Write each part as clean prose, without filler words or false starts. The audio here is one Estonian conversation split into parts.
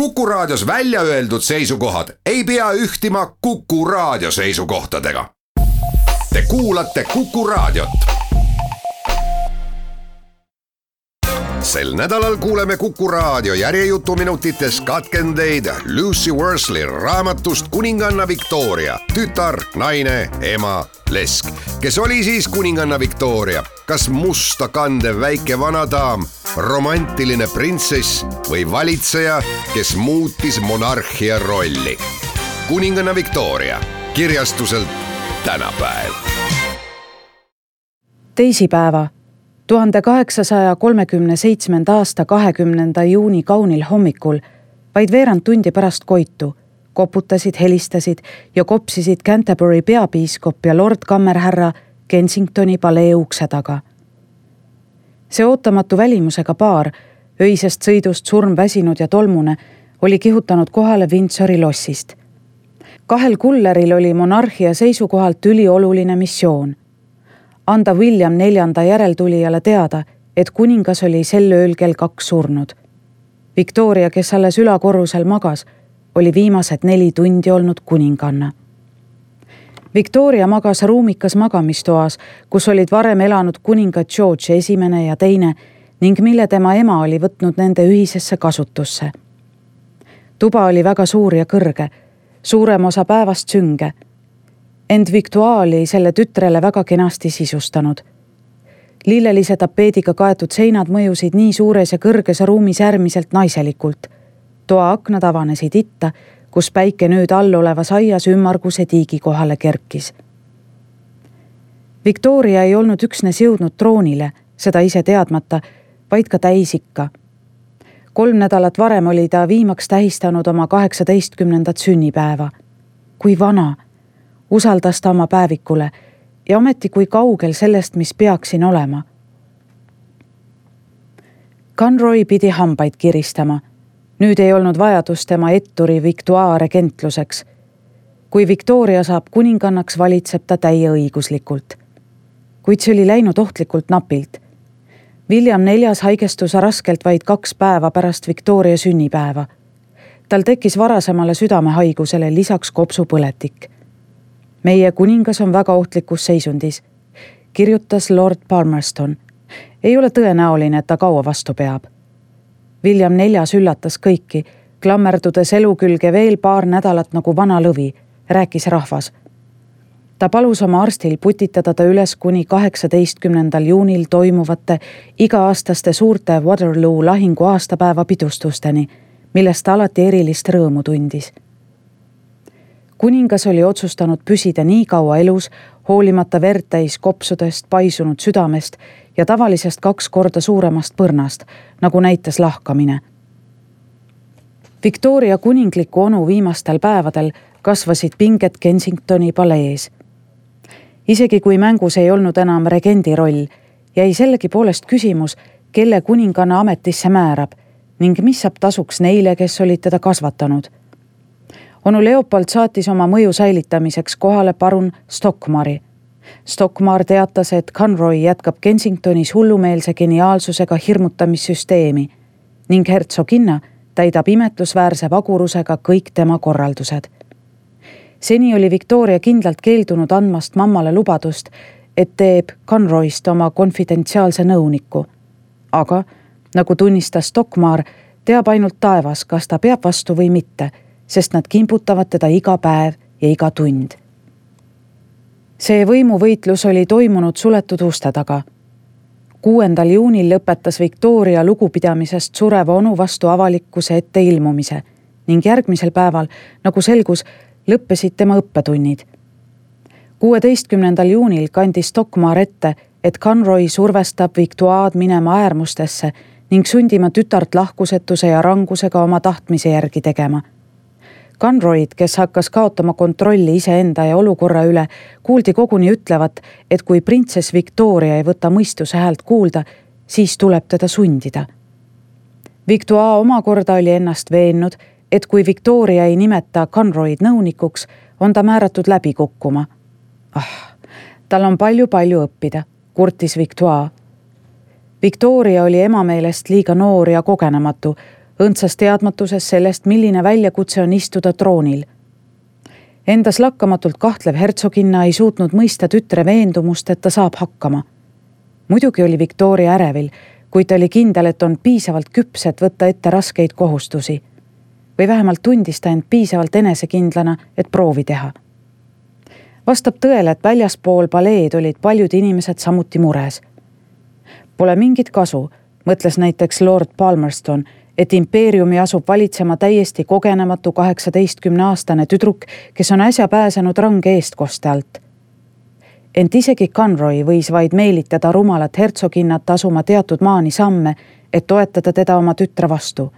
Kuku Raadios välja öeldud seisukohad ei pea ühtima Kuku Raadio seisukohtadega. Te kuulate Kuku Raadiot. Sel nädalal kuuleme Kuku Raadio järjejutuminutites katkendeid Lucy Worsley raamatust Kuninganna Victoria, tütar, naine, ema, lesk. Kes oli siis kuninganna Victoria? Kas musta kandev väike vanadaam, romantiline printsess või valitseja, kes muutis monarhia rolli? Kuninganna Victoria, kirjastuselt Tänapäev. Teisipäeva, 1837. aasta 20. juuni kaunil hommikul, vaid veerand tundi pärast koitu, koputasid, helistasid ja kopsisid Canterbury peapiiskop ja lord kammerhärra Kensingtoni palee ukse taga. See ootamatu välimusega paar, öisest sõidust surmväsinud ja tolmune, oli kihutanud kohale Windsori lossist. Kahel kulleril oli monarhia seisukohalt ülioluline missioon. Anda William IV järeltulijale teada, et kuningas oli sel ööl kell 2 surnud. Victoria, kes alles ülakorrusel magas, oli viimased 4 tundi olnud kuninganna. Victoria magas ruumikas magamistoas, kus olid varem elanud kuningad George I ja II ning mille tema ema oli võtnud nende ühisesse kasutusse. Tuba oli väga suur ja kõrge, suurem osa päevast sünge. Ent Victoire oli selle tütrele väga kenasti sisustanud. Lillelise tapeediga kaetud seinad mõjusid nii suures ja kõrges ruumis äärmiselt naiselikult. Toa aknad avanesid itta, kus päike nüüd all olevas aias ümmarguse tiigi kohale kerkis. Victoria ei olnud üksnes jõudnud troonile, seda ise teadmata, vaid ka täisikka. 3 nädalat varem oli ta viimaks tähistanud oma 18. sünnipäeva. Kui vana, usaldas ta oma päevikule ja ometi kui kaugel sellest, mis peaksin olema. Conroy pidi hambaid kiristama. Nüüd ei olnud vajadus tema etturi Victoire regentluseks. Kui Victoria saab kuningannaks, valitseb ta täieõiguslikult. Kuid see oli läinud ohtlikult napilt. William IV haigestus raskelt vaid 2 päeva pärast Victoria sünnipäeva. Tal tekkis varasemale südamehaigusele lisaks kopsupõletik. Meie kuningas on väga ohtlikus seisundis, kirjutas lord Palmerston. Ei ole tõenäoline, et ta kaua vastu peab. William IV üllatas kõiki, klammerdudes elu külge veel 2 nädalat nagu vana lõvi, rääkis rahvas. Ta palus oma arstil putitada ta üles kuni 18. juunil toimuvate iga-aastaste suurte Waterloo lahingu aastapäeva pidustusteni, millest ta alati erilist rõõmu tundis. Kuningas oli otsustanud püsida nii kaua elus, hoolimata vertäis kopsudest, paisunud südamest ja tavalisest 2 korda suuremast põrnast, nagu näitas lahkamine. Victoria kuningliku onu viimastel päevadel kasvasid pinged Kensingtoni palees. Isegi kui mängus ei olnud enam regendi roll, jäi sellegi poolest küsimus, kelle kuninganna ametisse määrab ning mis saab tasuks neile, kes olid teda kasvatanud. Onu Leopold saatis oma mõju säilitamiseks kohale parun Stockmari. Stockmar teatas, et Conroy jätkab Kensingtonis hullumeelse geniaalsusega hirmutamissüsteemi ning hertsoginna täidab imetlusväärse vagurusega kõik tema korraldused. Seni oli Victoria kindlalt keeldunud andmast mammale lubadust, et teeb Conroyst oma konfidentsiaalse nõuniku. Aga, nagu tunnistas Stockmar, teab ainult taevas, kas ta peab vastu või mitte, sest nad kimputavad teda iga päev ja iga tund. See võimuvõitlus oli toimunud suletud uste taga. 6. juunil lõpetas Victoria lugupidamisest sureva onu vastu avalikkuse ette ilmumise ning järgmisel päeval, nagu selgus, lõppesid tema õppetunnid. 16. juunil kandis Stockmar ette, et Conroy survestab Victoire'd minema äärmustesse ning sundima tütart lahkusetuse ja rangusega oma tahtmise järgi tegema. Conroyd, kes hakkas kaotama kontrolli iseenda ja olukorra üle, kuuldi koguni ütlevat, et kui printsess Victoria ei võta mõistuse häält kuulda, siis tuleb teda sundida. Victoire omakorda oli ennast veennud, et kui Victoria ei nimeta Conroyd nõunikuks, on ta määratud läbi kukkuma. Tal on palju õppida, kurtis Victoire. Victoria oli ema meelest liiga noor ja kogenematu, õndsas teadmatuses sellest, milline väljakutse on istuda troonil. Endas lakkamatult kahtlev hertsoginna ei suutnud mõista tütre veendumust, et ta saab hakkama. Muidugi oli Victoria ärevil, kuid ta oli kindel, et on piisavalt küps, et võtta ette raskeid kohustusi. Või vähemalt tundis ta end piisavalt enesekindlana, et proovi teha. Vastab tõele, et väljaspool paleed olid paljud inimesed samuti mures. Pole mingit kasu, mõtles näiteks Lord Palmerston, et impeeriumi asub valitsema täiesti kogenematu 18-aastane tüdruk, kes on äsja pääsenud range eestkoste alt. Ent isegi Conroy võis vaid meelitada rumalat hertsoginnat asuma teatud maani samme, et toetada teda oma tütre vastu.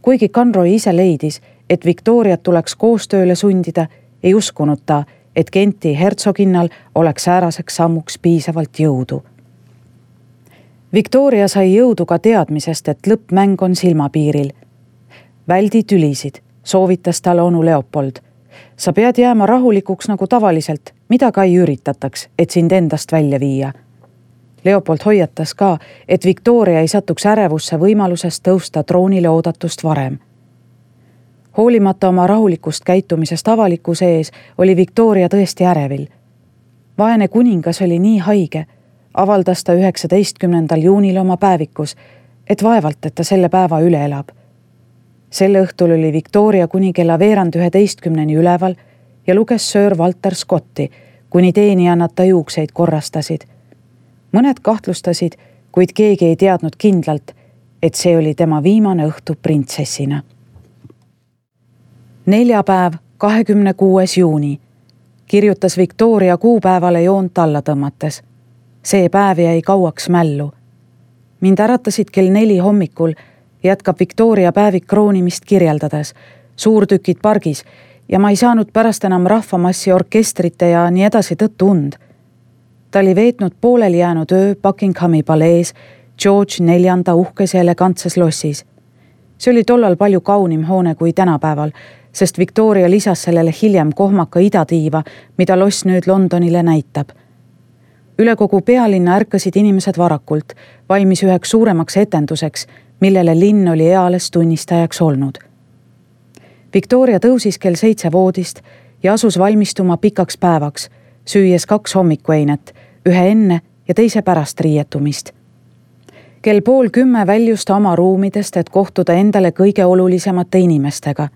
Kuigi Conroy ise leidis, et Victoriat tuleks koostööle sundida, ei uskunud ta, et Kenti hertsoginnal oleks sääraseks sammuks piisavalt jõudu. Victoria sai jõudu ka teadmisest, et lõppmäng on silmapiiril. Väldi tülisid, soovitas talle onu Leopold. Sa pead jääma rahulikuks nagu tavaliselt, mida ka ei üritataks, et sind endast välja viia. Leopold hoiatas ka, et Victoria ei satuks ärevusse võimalusest tõusta troonile oodatust varem. Hoolimata oma rahulikust käitumisest avalikkuse ees oli Victoria tõesti ärevil. Vaene kuningas oli nii haige, avaldas ta 19. juunil oma päevikus, et vaevalt, et ta selle päeva üle elab. Selle õhtul oli Victoria kuni kella 10:15 üleval ja luges Sir Walter Scotti, kuni teenijannad ta juukseid korrastasid. Mõned kahtlustasid, kuid keegi ei teadnud kindlalt, et see oli tema viimane õhtu printsessina. Neljapäev, 26. juuni, kirjutas Victoria kuupäevale joont alla tõmmates. See päev jäi kauaks mällu. Mind äratasid kell 4 hommikul, jätkab Victoria päevik kroonimist kirjeldades, suurtükid pargis ja ma ei saanud pärast enam rahvamassi orkestrite ja nii edasi tõttu und. Ta oli veetnud pooleli jäänud öö Buckinghami palees George IV uhkes ja elegantses lossis. See oli tollal palju kaunim hoone kui tänapäeval, sest Victoria lisas sellele hiljem kohmaka idatiiva, mida loss nüüd Londonile näitab. Üle kogu pealinna ärkasid inimesed varakult, valmis üheks suuremaks etenduseks, millele linn oli eales tunnistajaks olnud. Victoria tõusis kell 7 voodist ja asus valmistuma pikaks päevaks, süües 2 hommikueinet, ühe enne ja teise pärast riietumist. Kell 9:30 väljus ta oma ruumidest, et kohtuda endale kõige olulisemate inimestega.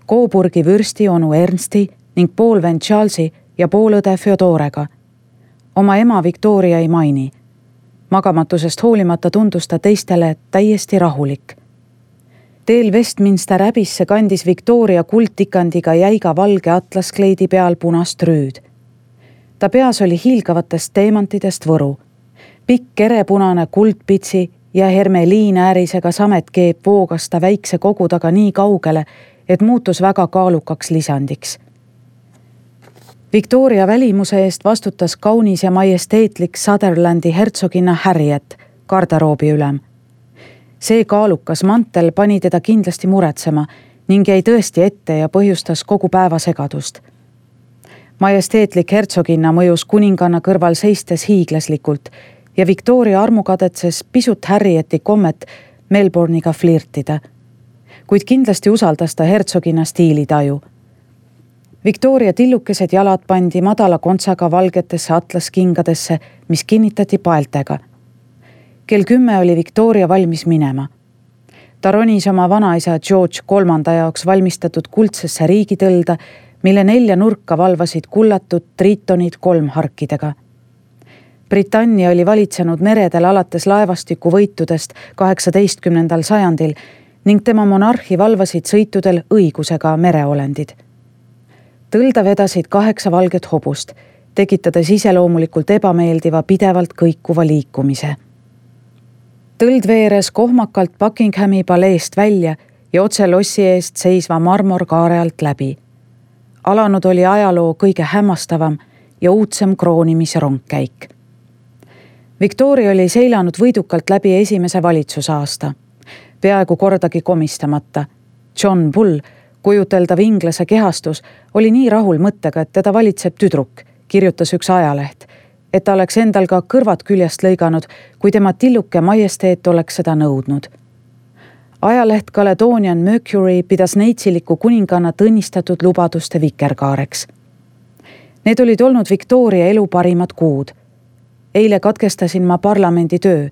Coburgi vürsti onu Ernsti ning poolvend Charlesi ja poolõde Feodorega. Oma ema Victoria ei maini. Magamatusest hoolimata tundus ta teistele täiesti rahulik. Teel Westminster Abbey'sse kandis Victoria kuldtikandiga jäiga valge atlaskleidi peal punast rüüd. Ta peas oli hiilgavatest teemantidest võru. Pikk kerepunane kuldpitsi ja hermeliinäärisega sametkeep voogas ta väikse kogu taga nii kaugele, et muutus väga kaalukaks lisandiks. Victoria välimuse eest vastutas kaunis ja majesteetlik Sutherlandi hertsoginna Harriet, garderoobi ülem. See kaalukas mantel pani teda kindlasti muretsema ning jäi tõesti ette ja põhjustas kogu päeva segadust. Majesteetlik hertsoginna mõjus kuninganna kõrval seistes hiiglaslikult ja Victoria armukadetses pisut Harrieti kommet Melbourne'iga flirtida. Kuid kindlasti usaldas ta hertsoginna stiilitaju. Victoria tillukesed jalad pandi madala kontsaga valgetesse atlaskingadesse, mis kinnitati paeltega. Kell 10 oli Victoria valmis minema. Ta ronis oma vanaisa George III jaoks valmistatud kuldsesse riigitõlda, mille 4 nurka valvasid kullatud triitonid 3 harkidega. Britannia oli valitsenud meredel alates laevastiku võitudest 18. sajandil ning tema monarhi valvasid sõitudel õigusega mereolendid. Tõlda vedasid 8 valget hobust, tekitades iseloomulikult ebameeldiva pidevalt kõikuva liikumise. Tõld veeres kohmakalt Buckinghami paleest välja ja otse lossi eest seisva marmorkaare alt läbi. Alanud oli ajaloo kõige hämmastavam ja uudsem kroonimisrongkäik. Victoria oli seilanud võidukalt läbi esimese valitsusaasta, peaaegu kordagi komistamata. John Bull, kujuteldav inglase kehastus, oli nii rahul mõttega, et teda valitseb tüdruk, kirjutas üks ajaleht, et ta oleks endal ka kõrvad küljest lõiganud, kui tema tilluke majesteet oleks seda nõudnud. Ajaleht Caledonian Mercury pidas neitsiliku kuninganna tõnnistatud lubaduste vikerkaareks. Need olid olnud Victoria elu parimad kuud. Eile katkestasin ma parlamendi töö,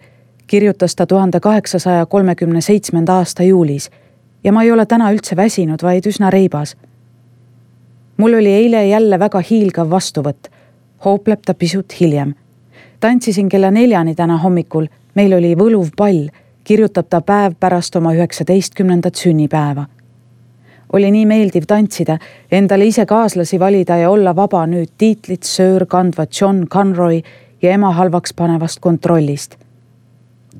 kirjutas ta 1837. aasta juulis ja ma ei ole täna üldse väsinud, vaid üsna reibas. Mul oli eile jälle väga hiilgav vastuvõtt, hoopleb ta pisut hiljem. Tantsisin kella 4 täna hommikul, meil oli võluv pall, kirjutab ta päev pärast oma 19. sünnipäeva. Oli nii meeldiv tantsida, endale ise kaaslasi valida ja olla vaba nüüd tiitlit söör kandva John Conroy ja ema halvaks panevast kontrollist.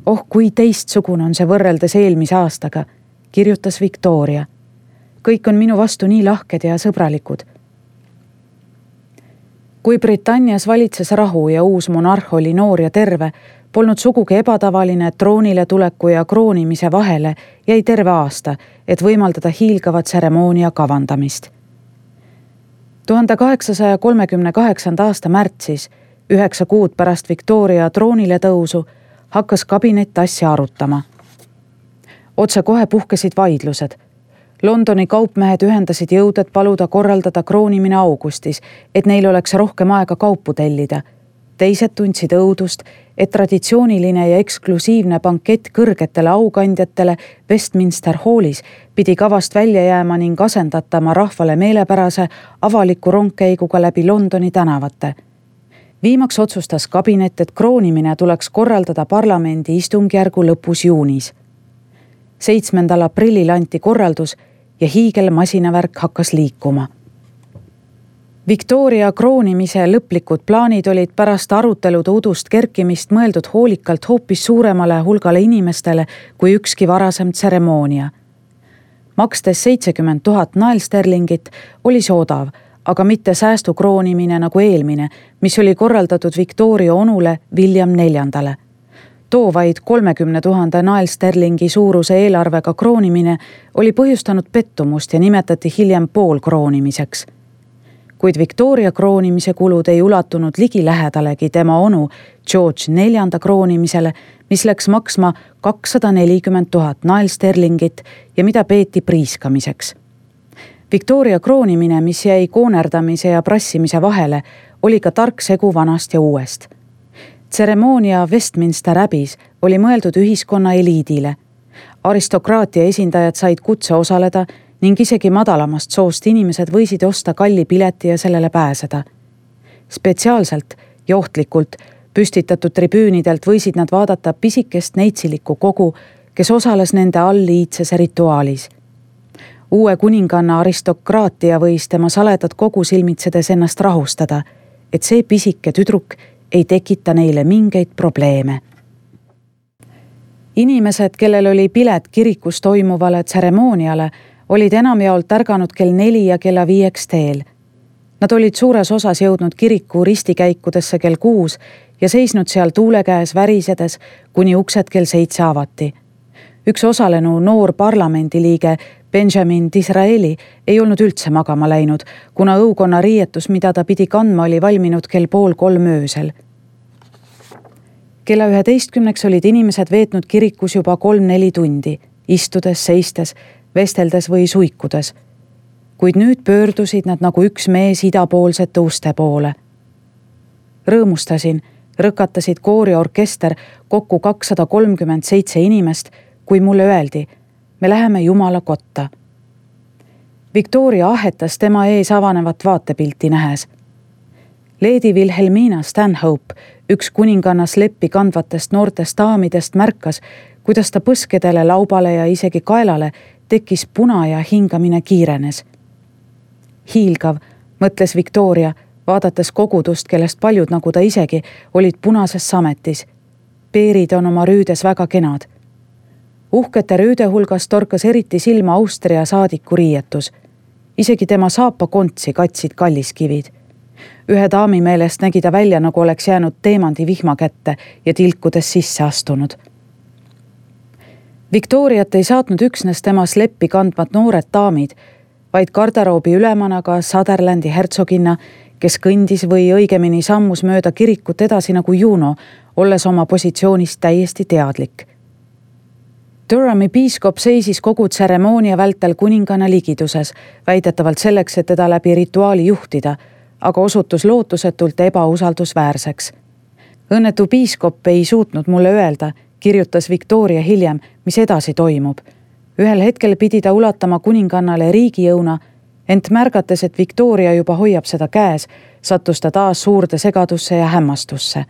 Oh, kui teistsugune on see võrreldes eelmise aastaga, kirjutas Victoria. Kõik on minu vastu nii lahked ja sõbralikud. Kui Britannias valitses rahu ja uus monarh oli noor ja terve, polnud sugugi ebatavaline, et troonile tuleku ja kroonimise vahele jäi terve aasta, et võimaldada hiilgavat tseremoonia kavandamist. 1838. aasta märtsis, 9 kuud pärast Victoria troonile tõusu, hakkas kabinet asja arutama. Otse kohe puhkesid vaidlused. Londoni kaupmehed ühendasid jõud, et paluda korraldada kroonimine augustis, et neil oleks rohkem aega kaupu tellida. Teised tundsid õudust, et traditsiooniline ja eksklusiivne bankett kõrgetele aukandjatele Westminster Hallis pidi kavast välja jääma ning asendatama rahvale meelepärase avaliku rongkäiguga läbi Londoni tänavate. Viimaks otsustas kabinet, et kroonimine tuleks korraldada parlamendi istungjärgu lõpus juunis. 7. aprillil anti korraldus ja hiigelmasinavärk hakkas liikuma. Victoria kroonimise lõplikud plaanid olid pärast arutelude udust kerkimist mõeldud hoolikalt hoopis suuremale hulgale inimestele kui ükski varasem tseremoonia. Makstes 70 000 naelsterlingit oli see odav, aga mitte säästukroonimine nagu eelmine, mis oli korraldatud Victoria onule William IV. Too vaid 30 000 naelsterlingi suuruse eelarvega kroonimine oli põhjustanud pettumust ja nimetati hiljem poolkroonimiseks. Kuid Victoria kroonimise kulud ei ulatunud ligilähedalegi tema onu George IV kroonimisele, mis läks maksma 240 000 naelsterlingit ja mida peeti priiskamiseks. Victoria kroonimine, mis jäi koonerdamise ja prassimise vahele, oli ka tark segu vanast ja uuest. Tseremoonia Westminster Abbeys oli mõeldud ühiskonna eliidile. Aristokraatia esindajad said kutse osaleda ning isegi madalamast soost inimesed võisid osta kalli pileti ja sellele pääseda. Spetsiaalselt, johtlikult püstitatud tribüünidelt võisid nad vaadata pisikest neitsilikku kogu, kes osales nende all liitsese rituaalis. Uue kuninganna aristokraatia võis tema saledad kogu silmitsedes ennast rahustada, et see pisike tüdruk ei tekita neile mingeid probleeme. Inimesed, kellel oli pilet kirikus toimuvale tseremooniale, olid enamjaolt ärganud kell 4 ja kella 5 teel. Nad olid suures osas jõudnud kiriku ristikäikudesse kell 6 ja seisnud seal tuule käes värisedes, kuni uksed kell 7 avati. Üks osalenu noor parlamendiliige Benjamin Disraeli ei olnud üldse magama läinud, kuna õukonna riietus, mida ta pidi kandma, oli valminud kell 2:30 öösel. Kella 11 olid inimesed veetnud kirikus juba 3-4 tundi, istudes, seistes, vesteldes või suikudes. Kuid nüüd pöördusid nad nagu üks mees idapoolsete uste poole. Rõõmustasin, rõkatasid koori orkester kokku 237 inimest, kui mulle öeldi, me läheme Jumala kotta. Victoria ahetas tema ees avanevat vaatepilti nähes. Lady Wilhelmina Stanhope, üks kuninganna sleppi kandvatest noortest daamidest, märkas, kuidas ta põskedele, laubale ja isegi kaelale tekkis puna ja hingamine kiirenes. Hiilgav, mõtles Victoria, vaadates kogudust, kellest paljud, nagu ta isegi, olid punases sametis. Peerid on oma rüüdes väga kenad. Uhkete rüüde hulgas torkas eriti silma Austria saadiku riietus. Isegi tema saapakontsi katsid kalliskivid. Ühe daami meelest nägi ta välja, nagu oleks jäänud teemandi vihma kätte ja tilkudes sisse astunud. Victoriat ei saatnud üksnes tema sleppi kandvad noored daamid, vaid garderoobi ülemana ka Sutherlandi hertsoginna, kes kõndis või õigemini sammus mööda kirikut edasi nagu Juno, olles oma positsioonist täiesti teadlik. Durhami piiskop seisis kogu tseremoonia vältel kuninganna ligiduses, väidetavalt selleks, et teda läbi rituaali juhtida, aga osutus lootusetult ebausaldusväärseks. Õnnetu piiskop ei suutnud mulle öelda, kirjutas Victoria hiljem, mis edasi toimub. Ühel hetkel pidi ta ulatama kuningannale riigijõuna, ent märgates, et Victoria juba hoiab seda käes, sattus ta taas suurde segadusse ja hämmastusse.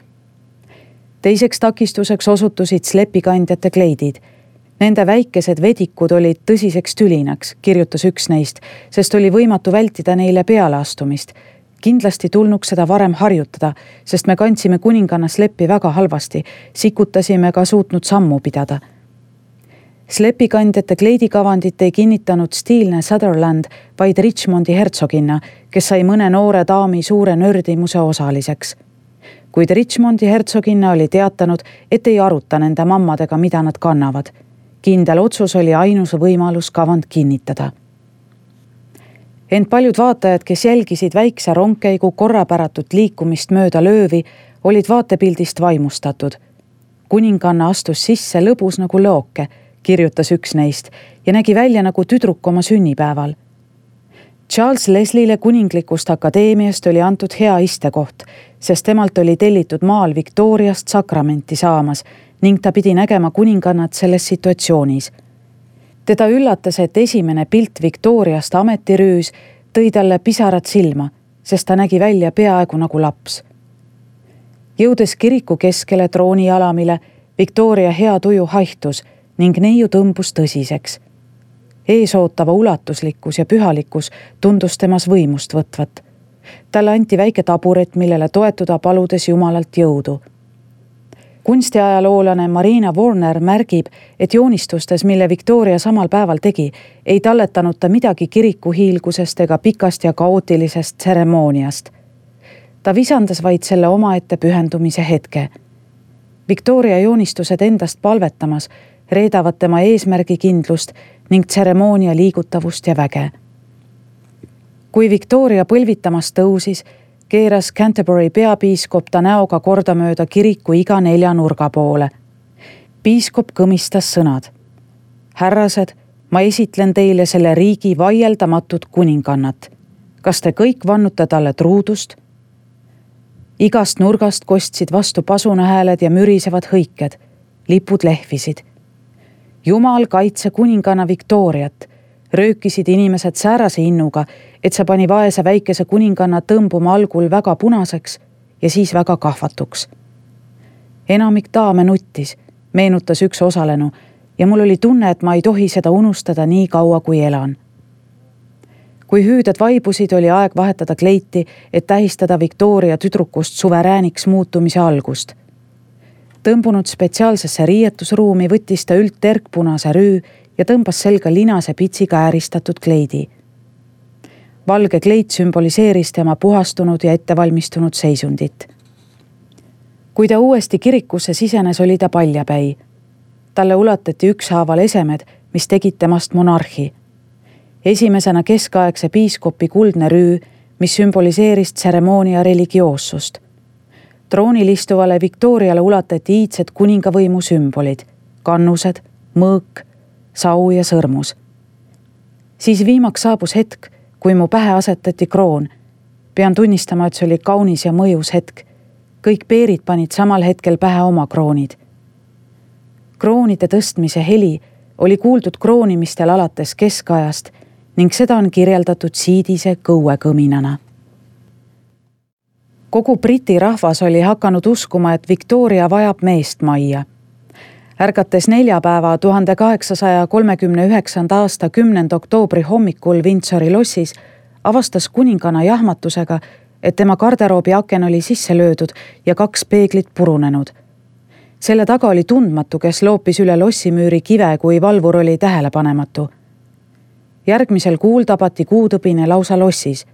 Teiseks takistuseks osutusid slepikandjate kleidid. Nende väikesed vedikud olid tõsiseks tülinaks, kirjutas üks neist, sest oli võimatu vältida neile pealeastumist. Kindlasti tulnuks seda varem harjutada, sest me kandsime kuninganna sleppi väga halvasti, sikutasime ka suutnud sammu pidada. Slepikandjate kleidikavandit ei kinnitanud stiilne Sutherland, vaid Richmondi hertsoginna, kes sai mõne noore daami suure nördimuse osaliseks. Kuid Richmondi hertsoginna oli teatanud, et ei aruta nende mammadega, mida nad kannavad. Kindel otsus oli ainus võimalus kavand kinnitada. Ent paljud vaatajad, kes jälgisid väikse rongkäigu korrapäratut liikumist mööda löövi, olid vaatepildist vaimustatud. Kuninganna astus sisse lõbus nagu looke, kirjutas üks neist, ja nägi välja nagu tüdruk oma sünnipäeval. Charles Leslie'le kuninglikust akadeemiast oli antud hea istekoht, sest temalt oli tellitud maal Victoriast sakramenti saamas ning ta pidi nägema kuningannat selles situatsioonis. Teda üllatas, et esimene pilt Victoriast ametirüüs tõi talle pisarad silma, sest ta nägi välja peaaegu nagu laps. Jõudes kiriku keskele troonialamile, Victoria hea tuju haihtus ning neiu tõmbus tõsiseks. Eesootava ulatuslikkus ja pühalikkus tundus temas võimust võtvat. Talle anti väike taburet, millele toetuda paludes Jumalalt jõudu. Kunstiajaloolane Marina Warner märgib, et joonistustes, mille Victoria samal päeval tegi, ei talletanud ta midagi kiriku hiilgusest ega pikast ja kaootilisest tseremooniast. Ta visandas vaid selle omaette pühendumise hetke. Victoria joonistused endast palvetamas reedavad tema eesmärgikindlust ning tseremoonia liigutavust ja väge. Kui Victoria põlvitamas tõusis, keeras Canterbury peapiiskop ta näoga kordamööda kiriku iga 4 nurga poole. Piiskop kõmistas sõnad. Härrased, ma esitlen teile selle riigi vaieldamatut kuningannat. Kas te kõik vannute talle truudust? Igast nurgast kostsid vastu pasunahääled ja mürisevad hõiked. Lipud lehvisid. Jumal kaitse kuninganna Victoriat. Röökisid inimesed säärase innuga, et see pani vaese väikese kuninganna tõmbuma algul väga punaseks ja siis väga kahvatuks. Enamik daame nuttis, meenutas üks osalenu, ja mul oli tunne, et ma ei tohi seda unustada nii kaua, kui elan. Kui hüüded vaibusid, oli aeg vahetada kleiti, et tähistada Victoria tüdrukust suverääniks muutumise algust. Tõmbunud spetsiaalsesse riietusruumi võttis ta üldterkpunase rüü ja tõmbas selga linase pitsiga ääristatud kleidi. Valge kleit sümboliseeris tema puhastunud ja ettevalmistunud seisundit. Kui ta uuesti kirikusse sisenes, oli ta paljapäi. Talle ulatati ükshaaval esemed, mis tegid temast monarhi. Esimesena keskaegse piiskopi kuldne rüü, mis sümboliseeris tseremoonia religioossust. Troonil istuvale Victoriale ulatati iidsed kuningavõimu sümbolid, kannused, mõõk, sau ja sõrmus. Siis viimaks saabus hetk, kui mu pähe asetati kroon. Pean tunnistama, et see oli kaunis ja mõjus hetk. Kõik peerid panid samal hetkel pähe oma kroonid. Kroonide tõstmise heli oli kuuldud kroonimistel alates keskajast ning seda on kirjeldatud siidise kõuekõminana. Kogu Briti rahvas oli hakanud uskuma, et Victoria vajab meest majja. Ärgates neljapäeva 1839. aasta 10. oktoobri hommikul Windsori lossis, avastas kuninganna jahmatusega, et tema garderoobi aken oli sisse löödud ja 2 peeglit purunenud. Selle taga oli tundmatu, kes loopis üle lossimüüri kive, kui valvur oli tähelepanematu. Järgmisel kuul tabati kuutõbine lausa lossis.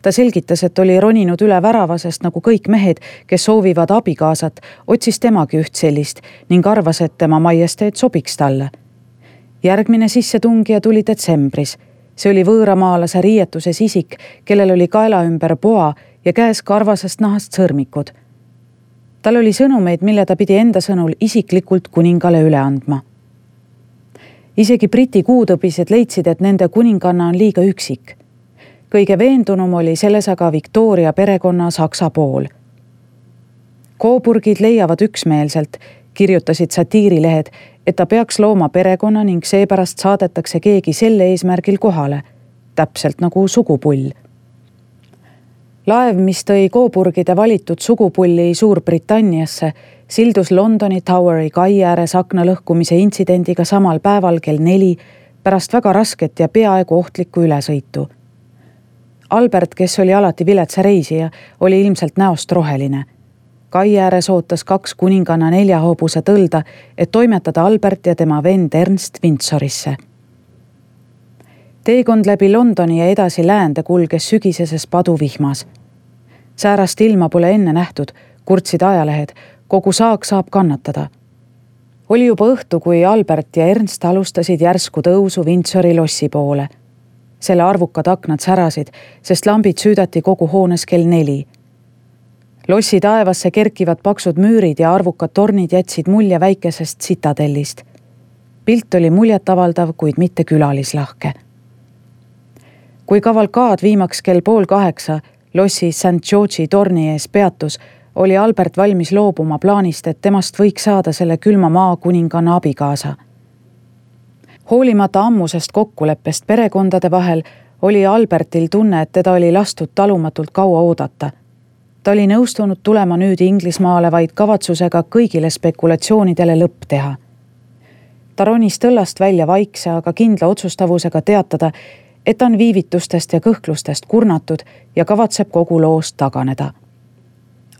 Ta selgitas, et oli roninud üle värava, sest nagu kõik mehed, kes soovivad abikaasat, otsis temagi üht sellist ning arvas, et tema majesteet sobiks talle. Järgmine sissetungija tuli detsembris. See oli võõramaalase riietuses isik, kellel oli kaela ümber poa ja käes karvasest nahast sõrmikud. Tal oli sõnumeid, mille ta pidi enda sõnul isiklikult kuningale üle andma. Isegi Briti kuutõbised leidsid, et nende kuninganna on liiga üksik. Kõige veendunum oli selles aga Victoria perekonna Saksa pool. Coburgid leiavad üksmeelselt, kirjutasid satiirilehed, et ta peaks looma perekonna ning seepärast saadetakse keegi selle eesmärgil kohale, täpselt nagu sugupull. Laev, mis tõi Coburgide valitud sugupulli Suurbritanniasse, sildus Londoni Toweri kai ääres akna lõhkumise intsidendiga samal päeval kell 4 pärast väga rasket ja peaaegu ohtlikku ülesõitu. Albert, kes oli alati viletsa reisija, oli ilmselt näost roheline. Kai ääres ootas 2 kuninganna 4-hoobuse tõlda, et toimetada Albert ja tema vend Ernst Windsorisse. Teekond läbi Londoni ja edasi läände kulges sügiseses paduvihmas. Säärast ilma pole enne nähtud, kurtsid ajalehed, kogu saak saab kannatada. Oli juba õhtu, kui Albert ja Ernst alustasid järsku tõusu Windsori lossi poole. Selle arvukad aknad särasid, sest lambid süüdati kogu hoones kell 4. Lossi taevasse kerkivad paksud müürid ja arvukad tornid jätsid mulje väikesest sitadellist. Pilt oli muljetavaldav, kuid mitte külalislahke. Kui kavalkaad viimaks kell 7:30 lossi St George'i torni ees peatus, oli Albert valmis loobuma plaanist, et temast võiks saada selle külma maa kuninganna abikaasa. Hoolimata ammusest kokkuleppest perekondade vahel oli Albertil tunne, et teda oli lastud talumatult kaua oodata. Ta oli nõustunud tulema nüüd Inglismaale vaid kavatsusega kõigile spekulatsioonidele lõpp teha. Ta ronis tõllast välja vaikse, aga kindla otsustavusega teatada, et on viivitustest ja kõhklustest kurnatud ja kavatseb kogu loost taganeda.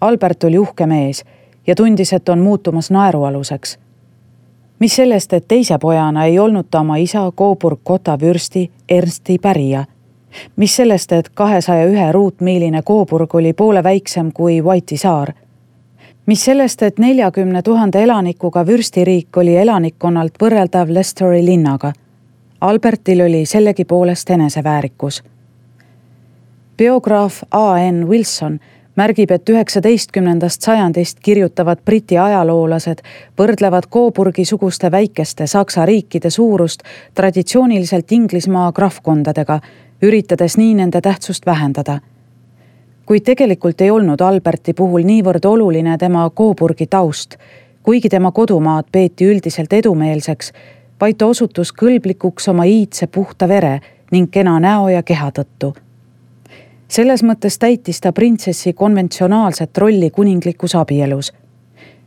Albert oli uhke mees ja tundis, et on muutumas naerualuseks. Mis sellest, et teise pojana ei olnud ta oma isa Coburg-Gotha vürsti Ernsti pärija. Mis sellest, et 201 ruutmiiline Coburg oli poole väiksem kui White'i saar. Mis sellest, et 40 000 elanikuga vürstiriik oli elanikkonnalt võrreldav Leicesteri linnaga. Albertil oli sellegi poolest eneseväärikus. Biograaf A.N. Wilson märgib, et 19. sajandist kirjutavad Briti ajaloolased võrdlevad Coburgi-suguste väikeste Saksa riikide suurust traditsiooniliselt Inglismaa krahvkondadega, üritades nii nende tähtsust vähendada. Kuid tegelikult ei olnud Alberti puhul niivõrd oluline tema Coburgi taust, kuigi tema kodumaad peeti üldiselt edumeelseks, vaid ta osutus kõlblikuks oma iidse puhta vere ning kena näo ja keha tõttu. Selles mõttes täitis ta printsessi konventsionaalset rolli kuninglikus abielus.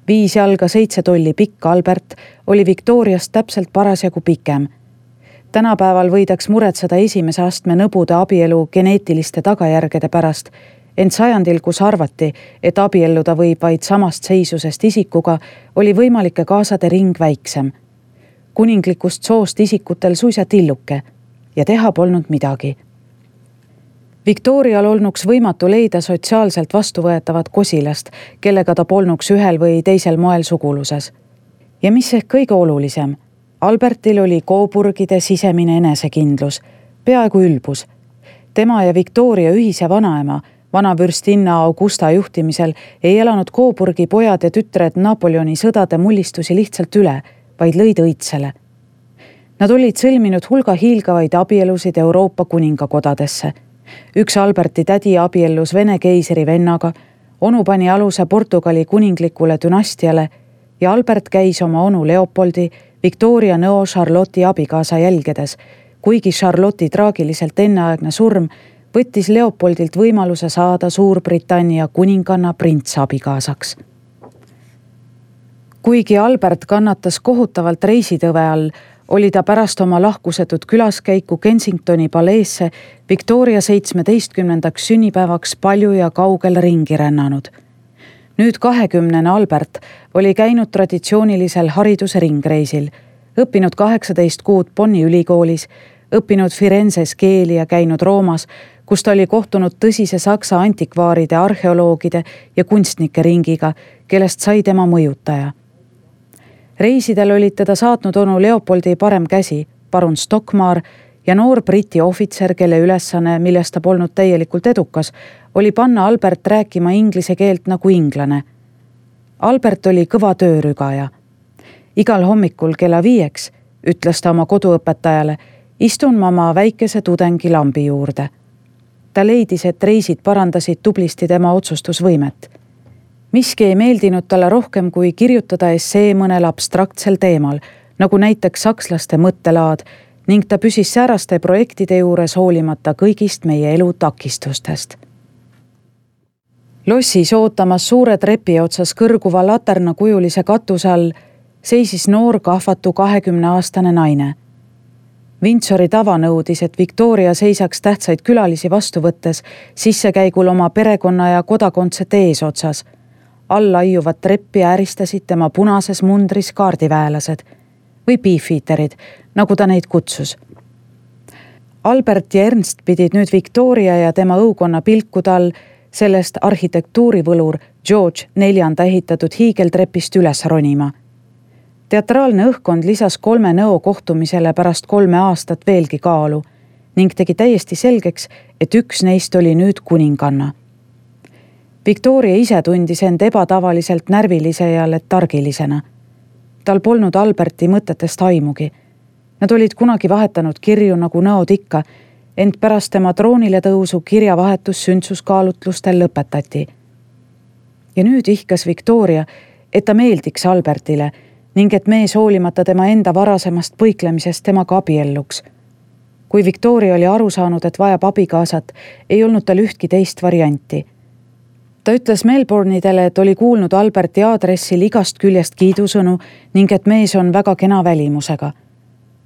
5 jalga 7 tolli pikk Albert oli Victoriast täpselt parasjagu pikem. Tänapäeval võidaks muretseda esimese astme nõbude abielu geneetiliste tagajärgede pärast, ent sajandil, kus arvati, et abielluda võib vaid samast seisusest isikuga, oli võimalike kaasade ring väiksem. Kuninglikust soost isikutel suisa tilluke ja teha polnud midagi. Victorial olnuks võimatu leida sotsiaalselt vastuvõetavat kosilast, kellega ta polnuks ühel või teisel moel suguluses. Ja mis ehk kõige olulisem, Albertil oli Coburgide sisemine enesekindlus, peaaegu ülbus. Tema ja Victoria ühise vanaema, vanavürstinna Augusta juhtimisel ei elanud Coburgi pojad ja tütred Napoleoni sõdade mullistusi lihtsalt üle, vaid lõid õitsele. Nad olid sõlminud hulga hiilgavaid abielusid Euroopa kuningakodadesse. Üks Alberti tädi abiellus Vene keisri vennaga, onu pani aluse Portugali kuninglikule dünastiale ja Albert käis oma onu Leopoldi, Victoria nõo Charlotte'i abikaasa jälgedes, kuigi Charlotte'i traagiliselt enneaegne surm võttis Leopoldilt võimaluse saada Suurbritannia kuninganna prints abikaasaks. Kuigi Albert kannatas kohutavalt reisitõve all, oli ta pärast oma lahkusetud külaskäiku Kensingtoni paleesse Victoria 17. sünnipäevaks palju ja kaugel ringi rännanud. Nüüd 20. Albert oli käinud traditsioonilisel hariduse ringreisil, õppinud 18 kuud Bonni ülikoolis, õppinud Firenzes keeli ja käinud Roomas, kus ta oli kohtunud tõsise Saksa antikvaaride, arheoloogide ja kunstnike ringiga, kellest sai tema mõjutaja. Reisidel olid teda saatnud onu Leopoldi parem käsi, parun Stockmar ja noor Briti ohvitser, kelle ülesanne, millest ta polnud täielikult edukas, oli panna Albert rääkima inglise keelt nagu inglane. Albert oli kõva töörügaja. Igal hommikul kella 5 ütles ta oma koduõpetajale, istun ma oma väikese tudengi lambi juurde. Ta leidis, et reisid parandasid tublisti tema otsustusvõimet. Miski ei meeldinud talle rohkem kui kirjutada essee mõnel abstraktsel teemal, nagu näiteks sakslaste mõttelaad, ning ta püsis sääraste projektide juures hoolimata kõigist meie elu takistustest. Lossis ootamas suure trepi otsas kõrguva laternakujulise katuse all seisis noor kahvatu 20-aastane naine. Windsori tava nõudis, et Victoria seisaks tähtsaid külalisi vastu võttes sissekäigul oma perekonna ja kodakondsete eesotsas. Alla aiuvad treppi ääristasid tema punases mundris kaardiväelased või beefeaterid, nagu ta neid kutsus. Albert ja Ernst pidid nüüd Victoria ja tema õukonna pilkude all sellest arhitektuurivõlur George IV ehitatud hiigeltrepist üles ronima. Teatraalne õhkkond lisas 3 nõo kohtumisele pärast 3 aastat veelgi kaalu ning tegi täiesti selgeks, et üks neist oli nüüd kuninganna. Victoria ise tundis end ebatavaliselt närvilise ja letargilisena. Tal polnud Alberti mõtetest aimugi. Nad olid kunagi vahetanud kirju nagu nõod ikka, ent pärast tema troonile tõusu kirjavahetus sündsuskaalutlustel lõpetati. Ja nüüd ihkas Victoria, et ta meeldiks Albertile ning et mees hoolimata tema enda varasemast põiklemisest temaga abielluks. Kui Victoria oli aru saanud, et vajab abikaasat, ei olnud tal ühtki teist varianti. Ta ütles Melbourneidele, et oli kuulnud Alberti aadressil igast küljest kiidusõnu ning et mees on väga kena välimusega.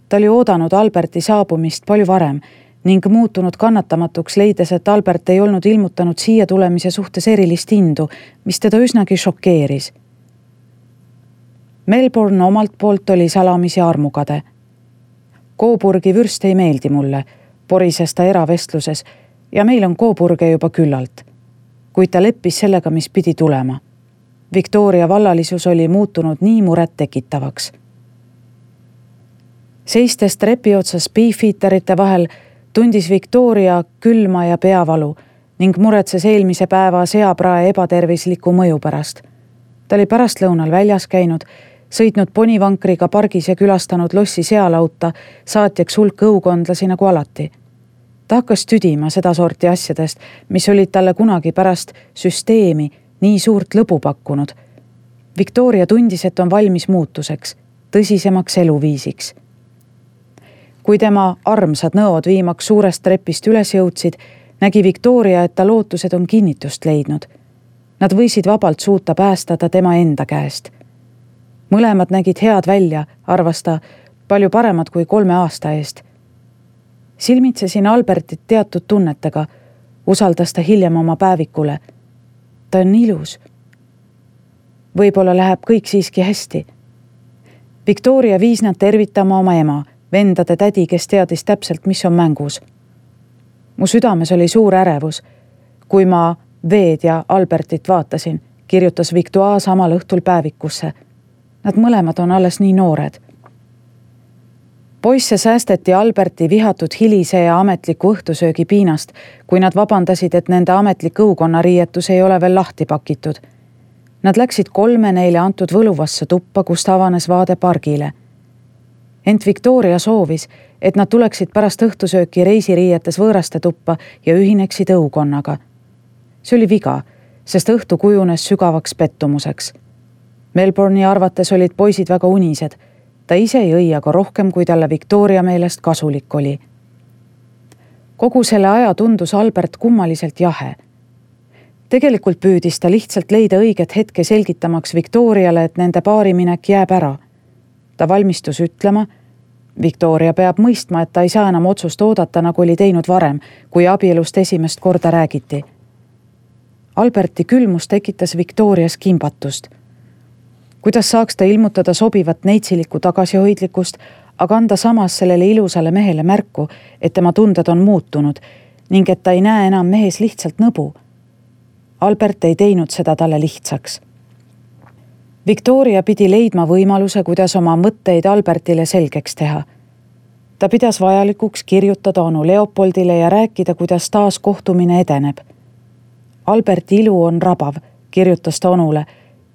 Ta oli oodanud Alberti saabumist palju varem ning muutunud kannatamatuks, leides, et Albert ei olnud ilmutanud siia tulemise suhtes erilist indu, mis teda üsnagi šokeeris. Melbourne omalt poolt oli salamisi armukade. Coburgi vürst ei meeldi mulle, porises ta eravestluses ja meil on Coburge juba küllalt. Kuid ta leppis sellega, mis pidi tulema. Victoria vallalisus oli muutunud nii muret tekitavaks. Seistes trepi otsas beefeaterite vahel tundis Victoria külma ja peavalu ning muretses eelmise päeva seaprae ebatervisliku mõju pärast. Ta oli pärastlõunal väljas käinud, sõitnud ponivankriga pargis ja külastanud Lossi sealauta, saatjaks hulk õukondlasi nagu alati. Ta hakkas tüdima seda sorti asjadest, mis olid talle kunagi pärast süsteemi nii suurt lõbu pakkunud. Victoria tundis, et on valmis muutuseks, tõsisemaks eluviisiks. Kui tema armsad nõod viimaks suurest trepist üles jõudsid, nägi Victoria, et ta lootused on kinnitust leidnud. Nad võisid vabalt suuta päästada tema enda käest. Mõlemad nägid head välja, arvas ta, palju paremad kui 3 aasta eest. Silmitsesin Albertit teatud tunnetega, usaldas ta hiljem oma päevikule. Ta on ilus. Võib-olla läheb kõik siiski hästi. Victoria viis nad tervitama oma ema, vendade tädi, kes teadis täpselt, mis on mängus. Mu südames oli suur ärevus. Kui ma Veed ja Albertit vaatasin, kirjutas Victoire samal õhtul päevikusse. Nad mõlemad on alles nii noored. Poisse säästeti Alberti vihatud hilise ja ametliku õhtusöögi piinast, kui nad vabandasid, et nende ametlik õukonnariietus ei ole veel lahti pakitud. Nad läksid 3 neile antud võluvasse tuppa, kust avanes vaade pargile. Ent Victoria soovis, et nad tuleksid pärast õhtusööki reisiriietes võõraste tuppa ja ühineksid õukonnaga. See oli viga, sest õhtu kujunes sügavaks pettumuseks. Melbourne'i arvates olid poisid väga unised. Ta ise ei aga rohkem, kui talle Victoria meelest kasulik oli. Kogu selle aja tundus Albert kummaliselt jahe. Tegelikult püüdis ta lihtsalt leida õiget hetke selgitamaks Victoriale, et nende paariminek jääb ära. Ta valmistus ütlema, Victoria peab mõistma, et ta ei saa enam otsust oodata, nagu oli teinud varem, kui abielust esimest korda räägiti. Alberti külmus tekitas Victorias kimbatust. Kuidas saaks ta ilmutada sobivat neitsiliku tagasihoidlikkust, aga anda samas sellele ilusale mehele märku, et tema tunded on muutunud ning et ta ei näe enam mehes lihtsalt nõbu. Albert ei teinud seda talle lihtsaks. Victoria pidi leidma võimaluse, kuidas oma mõtteid Albertile selgeks teha. Ta pidas vajalikuks kirjutada onu Leopoldile ja rääkida, kuidas taas kohtumine edeneb. Alberti ilu on rabav, kirjutas ta onule,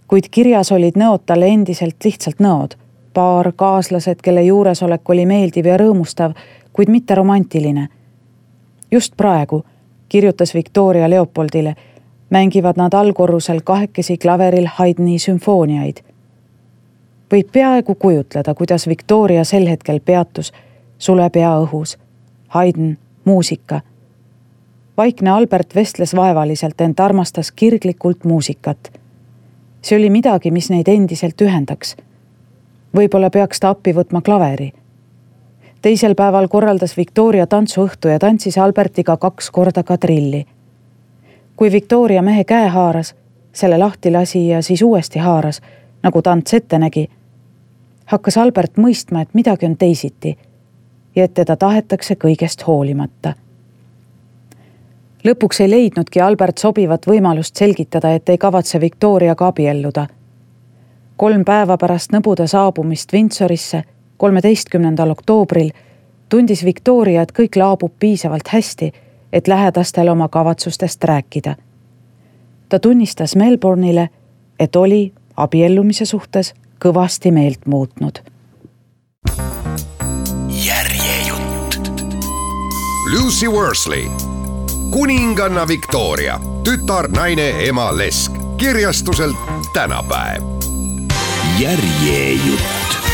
kuid kirjas olid nõod talle endiselt lihtsalt nõod. paar, kaaslased, kelle juuresolek oli meeldiv ja rõõmustav, kuid mitte romantiline. Just praegu, kirjutas Victoria Leopoldile, mängivad nad allkorrusel kahekesi klaveril Haydni sümfooniaid. Võib peaaegu kujutleda, kuidas Victoria sel hetkel peatus, sule pea õhus. Haydn, muusika. Vaikne Albert vestles vaevaliselt, ent armastas kirglikult muusikat. See oli midagi, mis neid endiselt ühendaks. Võib-olla peaks ta appi võtma klaveri. Teisel päeval korraldas Victoria tantsuõhtu ja tantsis Albertiga 2 korda kadrilli. Kui Victoria mehe käe haaras, selle lahti lasi ja siis uuesti haaras, nagu tants ette nägi, hakkas Albert mõistma, et midagi on teisiti ja et teda tahetakse kõigest hoolimata. Lõpuks ei leidnudki Albert sobivat võimalust selgitada, et ei kavatse Victoriaga abielluda. 3 päeva pärast nõbude saabumist Windsorisse 13. oktoobril tundis Victoria, et kõik laabub piisavalt hästi, et lähedastel oma kavatsustest rääkida. Ta tunnistas Melbourne'ile, et oli abiellumise suhtes kõvasti meelt muutnud. Järjejutt. Lucy Worsley, kuninganna Victoria, tütar, naine, ema Lesk, kirjastuselt Tänapäev. Järjejutt.